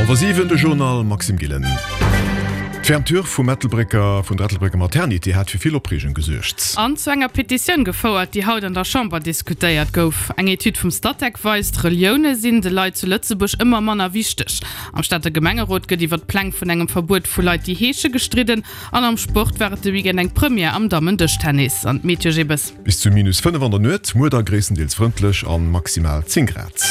Hallwer 7, de Journal Maxime Gillen. D'Fermeture vum Ettelbrécker, vun der Ettelbrécker Maternité hat fir vill Opreegung gesuergt. An zu enger Petitioun gefouert, déi haut an der Chamber diskutéiert gouf. Eng Etüd vum Statec weist, Relioune sinn de Leit zu Lëtzebuerg ëmmer manner wichteg. Am Stater Gemengerot gëtt iwwer d'Pläng vun engem Verbuet vu Leit, déi heesche gestridden. An am Sport war et de Weekend eng Première am Dammen-Dëschtennis. An d'Meteo Gibbes. Bis zu minus 5 an der Nuet, muer da gréisstendeels frëndlech an maximal 10 Grad.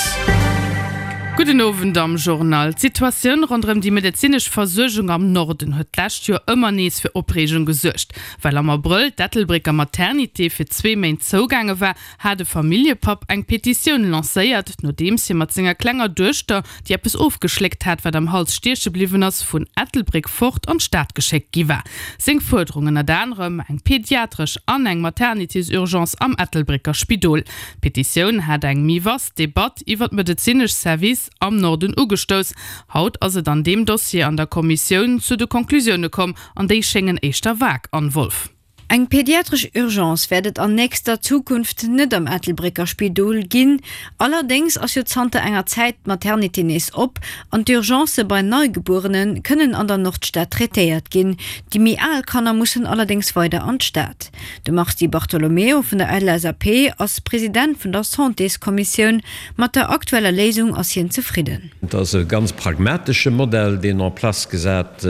Gudden Owend am Journal. D'Situatioun ronderëm déi medezinesch Versuergung am Norden huet d'lescht Joer ëmmer nees fir Opreegung gesuergt. Well am Abrëll d'Ettelbrécker Maternité fir zwee Méint zougaange war, hat e Familljepapp eng Petitioun lancéiert, nodeems hie mat senger klenger Duechter, déi eppes ofgeschléckt hat, wat am Hals stieche bliwwen ass, vun Ettelbréck fort an d'Stad geschéckt gi war. Seng Fuerderung ënnert anerem, eng pediatresch an eng Maternitésurgence am Ettelbrécker Spidol. D'Petitioun hat eng méi vast Debatt iwwer d'medezinesch Service am Norden ugestouss. Haut ass et an deem Dossier an der Kommissioun zu de Conclusioune komm, an déi schéngen éischter vag, Anne Wolff. Eng pediatresch Urgence wäert et an nächster Zukunft net am Ettelbrécker Spidol ginn. Allerdéngs ass jo zanter enger Zäit d'Maternité nees op an d'Urgencë bei Neigebuerene kënnen an der Nordstad traitéiert ginn. Déi méi al Kanner mussen allerdéngs weider an d'Stad. De Mars Di Bartolomeo vun der LSAP ass President vun der Santéskommissioun. Mat der aktueller Léisung ass hien zefridden. Et ass e ganz pragmatesche Modell, deen en place gesat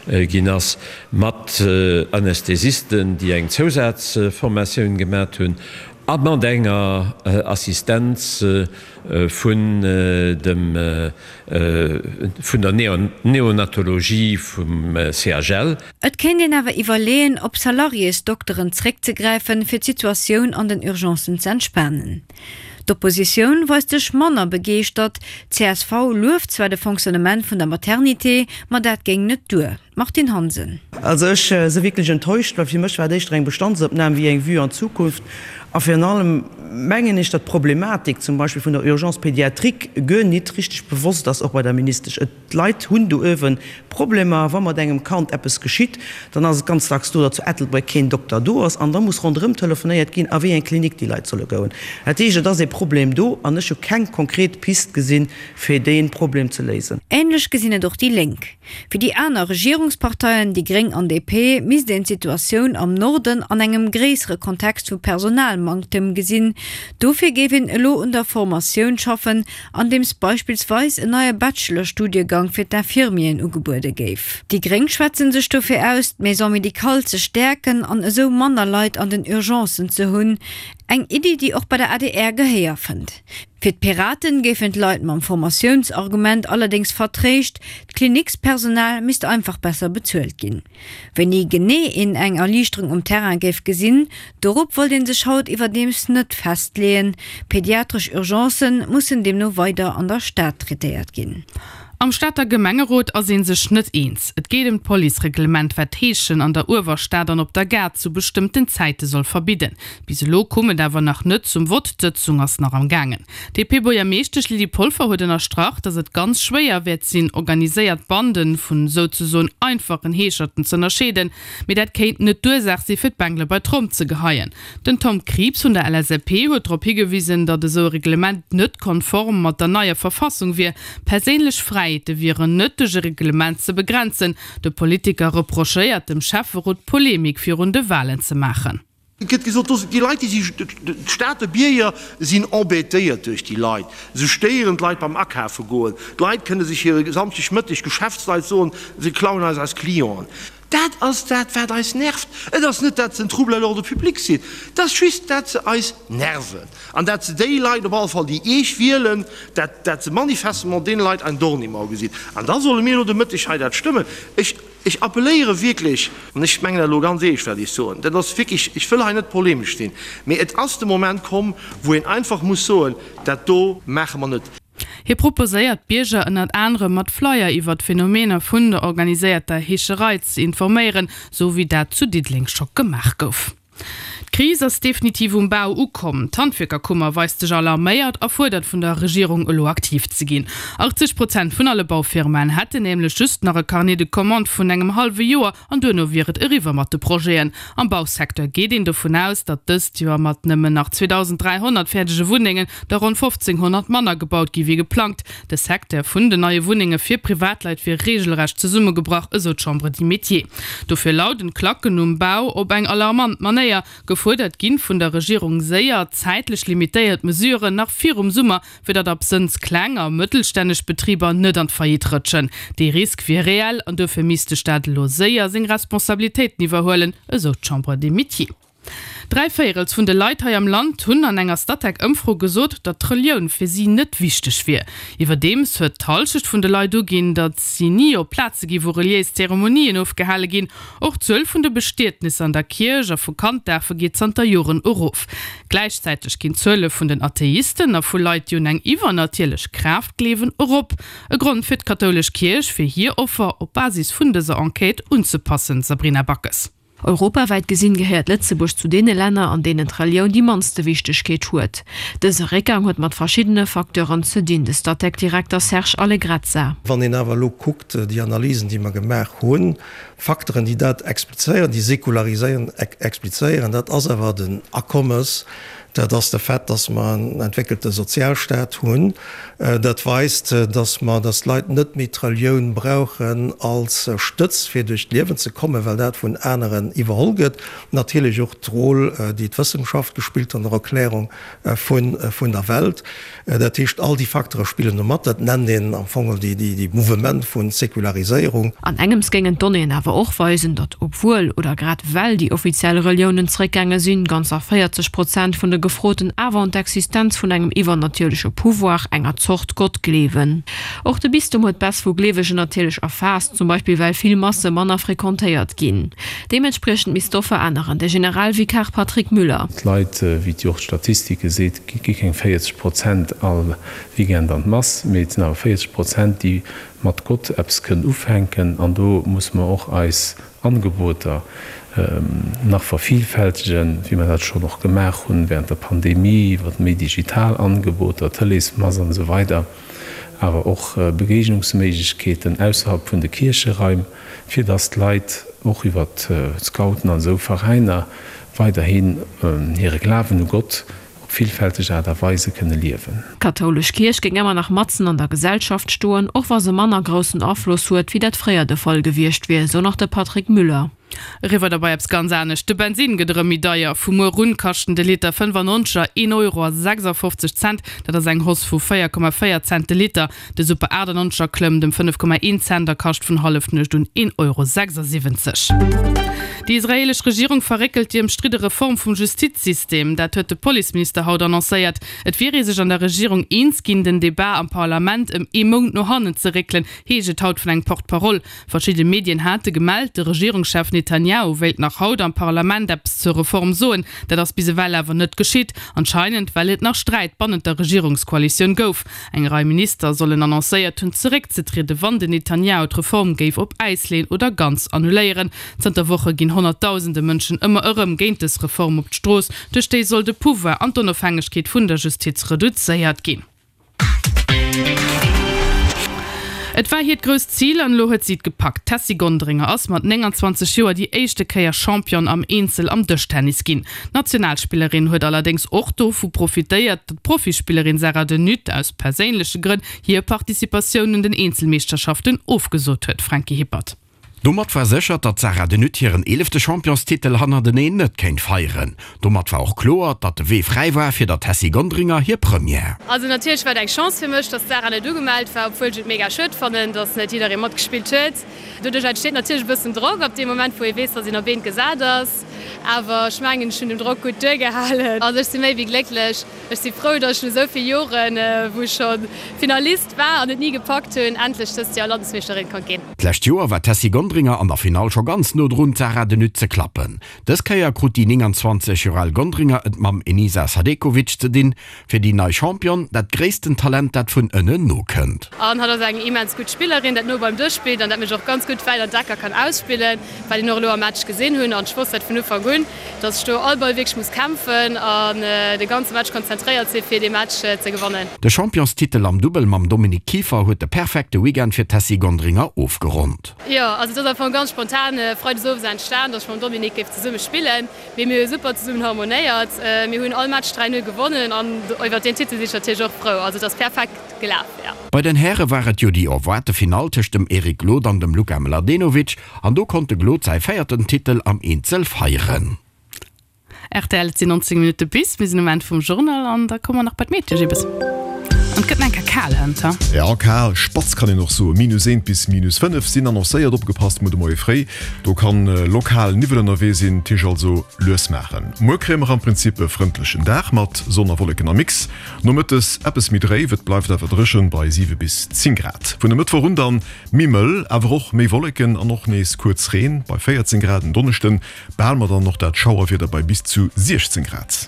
ginn ass. Mat Anästhesisten, déi eng Zousazformatioun gemat hunn a mat enger Assistenz vun dem vun der Neonatologie vum CHL. Et kéint een awer iwwerleeën, op Salariésdokteren zréckzegräifen, fir d'Situatioun an den Urgencen z'entspanen. D'Oppositioun weist sech manner begeeschtert. D'CSV lueft zwar de Fonctionnement vun der Maternité, ma dat géing net duer. Martine Hansen. Also ech si wierklech enttäuscht, well fir mech war et éischter eng Bestandsopnam wéi eng Vue an d'Zukunft. A virun allem mengen ech, datt d'Problematik zum Beispill vun der Urgence pédiatrique guer nit richteg bewosst ass, och bei der Ministesch. Et, d'Leit hunn do uewe Problemer. Wa mat engem Kand eppes geschitt, dann ass et ganz dacks do, datt zu Ettelbréck keen Dokter do ass an da muss ronderëm telefonéiert ginn, a wéi eng Klinik déi Leit solle goen. Dat heescht, et ass ee Problem do an ech hu keng konkret Pist gesinn, fir dee Problem ze léisen. Änlech gesinn et och déi Lénk. Fir déi aner Regierungsparteien, déi Gréng an DP, misst een d'Situatioun am Norden an engem gréissere Kontext vu Personalmanktem gesinn. Dofir géif een elo un der Formatioun schaffen, andeems beispillsweis en neie Bachelor-Studiegang fir d'Infirmieren ugebuede géif. Déi Gréng schwätze sech dofir aus, d'Maison médicale ze stäerken an esou manner Leit an den Urgencen ze hunn. Eng Iddi, déi och bei der adr Gehéier fënnt. Fir d'Piraten géifen d'Leit mam Formatiounsargument allerdéngs vertréischt, d'Klinickspersonal misst einfach besser bezuelt ginn. Wéini genee een eng Erliichterung um Terrain géif gesinn, dorop wollt ee sech haut iwwerdeems net festleeën. Pediatresch Urgencë mussen deemno weider an der Stad traitéiert ginn. Am Stater Gemengerot ass ee sech net eens. Et geet ëm d'Policereglement, wat d'Heeschen an der Uewerstad an op der Gare zu bestëmmten Zäite soll verbidden. Bis elo koum et awer nach net zum Vott, d'Sëtzung ass nach am gaangen. D'DP-Buergermeeschtesch Lydie Polfer huet ënnerstrach, datt et ganz schwéier wäert sinn, organiséiert Bande vun souzesoen einfachen Heescherten z'ënnerscheeden. Mee dat kéint net d'Ursaach si fir d'Bengele bei d'Tromm ze geheien. Den Tom Krieps vun der LSAP huet drop higewisen, datt esou e Reglement net konform mat der neier Verfassung wier. Perséinlech Fräiheete wieren net duerch e Reglement ze begrenzen. De Politiker reprochéiert dem Schäfferot, Polemik virun de Walen ze maachen. Et gëtt gesot, do sinn déi Leit, déi si, d'Stater Bierger sinn embêtéiert duerch déi Leit. Se stéieren d'Leit beim Akafe goen. D'Leit kënne sech hire Samschdegmëtteg, Geschäftsleit soen, se klauen eis eis Clienten. Dat ass dat, wat eis nervt. Et ass net, dat se en Trouble à l'ordre public sinn, et ass just, dat se eis nerven an dat se déi Leit, op alle Fall déi Iech wielen, dat, dat se manifestement deene Leit ein Dorn im Auge sinn. An da solle mir elo de Mëtteg hei dat stëmmen. Ech, ech appelléiere wierklech, an ech mengen dat elo ganz eescht, wat ech soen, dat ass wierklech, ech wëll hei net polemesch sinn, mee et ass de Moment komm, wou een einfach muss soen, Dat do maache mer net. Hie proposéiert d'Bierger ënnert anerem mat Flyer iwwer d'Phänomener vun der organiséierter Heescherei ze informéieren, sou wéi dat zu Diddeleng scho gemaach gouf. D'Kris ass definitiv um Bau ukomm. D'Handwierkerkummer weist sech alarméiert a fuerdert vun der Regierung elo aktiv ze ginn. 80 Prozent vun alle Baufirmaen hätten nämlech just nach e Carnet de commandes vun engem hallwe Joer an duerno wier et eriwwer mat de Projeten. Am Bausecteur geet een dovun aus, datt dëst Joer mat nëmmen nach 2.300 fäerdege Wunnengen der ronn 1.500 manner gebaut gi wéi geplangt. De Secteur vun den neie Wunnenge fir Privatleit wier reegelrecht zesummegebrach, esou d'Chambre des Métiers. Dofir lauden d'Klacken um Bau op eng alarmant Manéier. Gefuerdert ginn vun der Regierung séier, zäitlech limitéiert Mesuren nach virum Summer, fir datt absënns kleng a mëttelstänneg Betriber net an d'Faillite rëtschen. Dee Risk wier reell an duerfir misst de Staat elo séier seng Responsabilitéiten iwwerhuelen, esou d'Chambre des Métiers. Dräivéierels vun de Leit hei am Land hunn an enger Statec-Ëmfro gesot, datt d'Relioun fir si net wichteg wier. Iwwerdeems huet d'Hallschecht vun de Leit uginn, datt si ni op Plaze gi wou reliéis Zeremonien ofgehale ginn. Och d'Zuel vun de Bestietnisser an der Kierch a vu Kanddafe geet zanter Joren erof. Gläichzäiteg ginn d'Zuele vun den Atheisten a vu Leit, déi un eng iwwernatierlech Kraaft gleewen, erop. E Grond fir d'kathoulesch Kierch, fir hir Offer op Basis vun dëser Enquête unzepassen, Sabrina Backes. Europawäit gesinn gehéiert Lëtzebuerg zu deene Länner, an deenen d'Relioun déi mannste Wichtegkeet huet. Dëse Réckgang huet mat verschiddene Facteuren ze dinn, de Statec-Direkter Serge Allegrezza. Wann een awer elo kuckt, déi Analysen, déi mer gemaach hunn, Facteuren, déi dat explizéieren, déi Säkulariséierung explizéieren, dat ass awer den Akommes, Dat ass de Fait, dass mer en entwéckelte Sozialstaat hunn. Dat weist, dass mer, dass d'Leit net méi d'Relioun brauchen als Stëtz, fir duerch d'Liewen ze kommen, well dat vun aneren iwwerholl gëtt. Natierlech och d'Roll, déi d'Wëssenschaft gespillt an der Erklärung vun der Welt. Dat heescht, all déi Facteure spillen do mat. Dat nennt een am Fong déi Mouvement vu Säkulariséierung. An engems géingen d'Donnéeën awer och weisen, datt obwuel oder grad well déi offiziell Reliounen zréckgaange sinn, ganzer 40 Prozent vun de Gefroten awer un d'Existenz vun engem iwwernatierleche Pouvoir, enger Zort Gott, gleewen. Och de Bistum huet d'Baisse vu Gleewegen natierlech erfaasst, zum Beispill well vill Masse manner frequentéiert ginn. Deementspriechend misst d'Offer änneren. De Generalvikar Patrick Müller. D'Leit, wéi et jo och d'Statistike seet, gi keng 40 Prozent all Weekend an d'Mass, mee et sinn awer 40 Prozent, déi mat Gott eppes kënnen ufänken. An do musse mer och eis Angeboter nach vervielfältegen, wéi mer dat schonn och gemaach hunn während der Pandemie, iwwer méi digital Angeboter, Tëleesmass an esou weider, awer och Begegnungsméiglechkeeten ausserhalb vun de Kiercheraim, fir dass d'Leit och iwwer d'Scouten an esou Veräiner weiderhin hire Glawen u Gott op villfälteg Aart a Weise kënne liewen. D'kathoulesch Kierch géing ëmmer nach matzen an der Gesellschaft stoen, och wa se manner groussen Afloss huet, wéi dat fréier de Fall gewiescht wier, sou nach de Patrick Müller. Eriwwer derbei eppes ganz anescht, De Bensinn gëtt erëm méi deier. Vu muer un kaschten de Liter 95 er een Euro a 56 Cent, dat ass eng Hausse vu 4,4 Cent de Liter. De Super 98 er klëmmt ëm 5,1 Cent a kascht vun Hallefnuecht un 1,76 Euro. Déi israeelesch Regierung verréckelt déi ëmstridde Reform vum Justizsystem. Dat huet de Policeminister haut annoncéiert. Et wier ee sech an der Regierung eens ginn, den Debat am Parlament ëm ee Mount no hannen ze réckelen, heescht et haut vun engem Porte-parole. Verschidde Medien hate gemellt, de Regierungschef Netanjahu wéilt nach haut am Parlament eppes zur Reform soen. Dat ass bis ewell awer net geschitt, anscheinend well et nach Sträit bannent der Regierungskoalitioun gouf. Eng Rei Minister sollen annoncéiert hunn, zeréckzetrieden, wann den Netanjahu d'Reform géif op Äis leeën oder ganz annuléieren. Zanter Woche ginn Honnertdausende Mënschen ëmmer erëm géint dës Reform op d'Strooss. Duerch déi soll de Pouvoir an d'Onofhängegkeet vun der Justiz reduzéiert ginn. Et war hiert grousst Zil an elo huet si et gepackt. D'Tessy Gonderinger ass mat 29 Joer déi éischte Kéier Championne am Eenzel am Dëschtennis ginn. D'Nationalspillerin huet allerdéngs och dovu profitéiert, datt d'Profispillerin Sarah De Nutte aus perséinleche Grënn hir Participatioun un den Eenzelmeeschterschaften ofgesot huet. Franky Hippert. Domat war sécher, datt d'Sarah De Nutte hiren eelefte Championstitel hannerteneen net kéint feieren. Domat war och kloer, datt de Wee fräi war fir der Tessy Gonderinger hir Première. Also natierlech war et eng Chance fir mech, datt d'Sarah net ugemellt war, obwuel ech et mega schued fannen, datt net jidderee matgespillt huet. Doduerch entsteet natierlech e bëssen Drock ab deem Moment, wou ee weess, datt een op eent gesat ass. Awer ech mengen, ech hunn dem Drock gutt duergehalen. Also ech si méi wéi glécklech. Ech si frou, datt ech no esou vill Joren, wou ech scho Finalist war an et ni gepackt hunn, endlech dëst Joer Landesmeeschterin konnt ginn. D'lescht Joer war d'Tessy Gonderinger an der Finall scho ganz no drun, d'Sarah De Nutte ze klappen. Dës Kéier krut déi 29 Joer al Gonderinger et mam Enisa Sadekovic ze dinn. Fir déi nei Championne dat gréissten Talent, dat vun ënnen nokënnt. An hatt ass eng immens gutt Spillerin, dat no beim Dësch spillt an dat mech och ganz gutt wäit an d'Ecker kann ausspillen, wat een och elo am Match gesinn hunn. An ech wosst dat vun Ufank. Ufank un, dass ech do all Ball wierklech muss kämpfen an de ganze Match konzentréiert si fir dee Match ze gewannen. De Championstitel am Dubbel mam Dominique Kieffer huet de perfekte Weekend fir d'Tessy Gonderinger ofgeronnt. Jo, also et ass am Fong ganz spontan Freides owes entstan, dass ech mam Dominique géif zesumme spillen. Mee mir hu super zesummen harmonéiert. Mir hunn all Match 3, 0 gewonnen an iwwert deen Titel sinn ech natierlech och frou. Also et ass perfekt gelaf, jo. Bei den Häre war et jo déi erwaarte Finall tëscht dem Eric Glod an dem Luka Mladenovic an do konnt de Glod säi véierten Titel am Eenzel feieren. Rtl, et sinn 19 Minutte bis, mir sinn um Enn vum Journal an da komme mer nach bei d'Meteo, Jibbes. An et gëtt nach eng Kéier kal hënt, ha? Jo, kal, spatz kann een och soen. Minus eent bis minus 5 sinn annoncéiert. Opgepasst muer de Moie fréi, do kann lokal Niwwel ënnerwee sinn. D'Tisch also lues maachen. Muer kréie mer am Prinzip e frëndlechen Dag mat Sonn a Wolleken am Mix. Nomëttes eppes méi dréif, et bleift awer dréchen bei 7 bis 10 Grad. Vun e Mëttwoch un dann méi mëll, awer och méi Wolleken an och nees kuerz Reen bei 14 Grad. En Donneschden Behale mer dann och dat Schauerwieder bei bis zu 16 Grad.